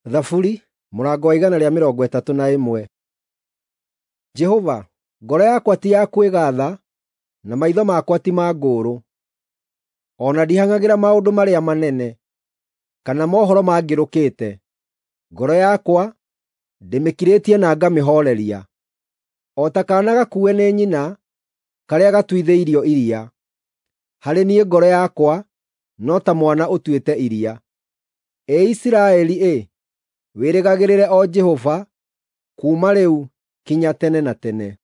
Thaburi mũrango wa 131. Jehova, ngoro yakwa ti ya kwĩgaatha, na maitho makwa ti ma ngũũrũ; o na ndihang'agĩra maũndũ marĩa manene, kana mohoro mangĩrũkĩte. Ngoro yakwa ndĩmĩkirĩtie na ngamĩhooreria, o ta kaana gakuue nĩ nyina karĩa gatuithĩirio iria. Harĩ niĩ ngoro yakwa no ta mwana ũtuĩte iria. Ĩ Isiraeli-ĩ, wĩrĩgagĩrĩre o Jehova, kuuma rĩu kinya tene na tene.